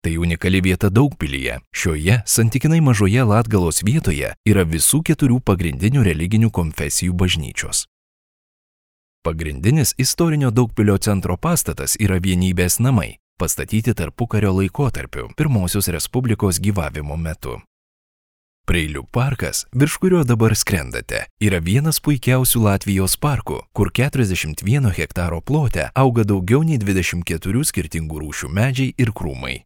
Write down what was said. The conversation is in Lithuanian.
Tai unikali vieta Daugpilyje. Šioje santykinai mažoje Latgalos vietoje yra visų 4 pagrindinių religinių konfesijų bažnyčios. Pagrindinis istorinio Daugpilio centro pastatas yra Vienybės namai, pastatyti tarpukario laikotarpiu Pirmosios Respublikos gyvavimo metu. Preilių parkas, virš kurio dabar skrendate, yra vienas puikiausių Latvijos parkų, kur 41 hektaro plote auga daugiau nei 24 skirtingų rūšių medžiai ir krūmai.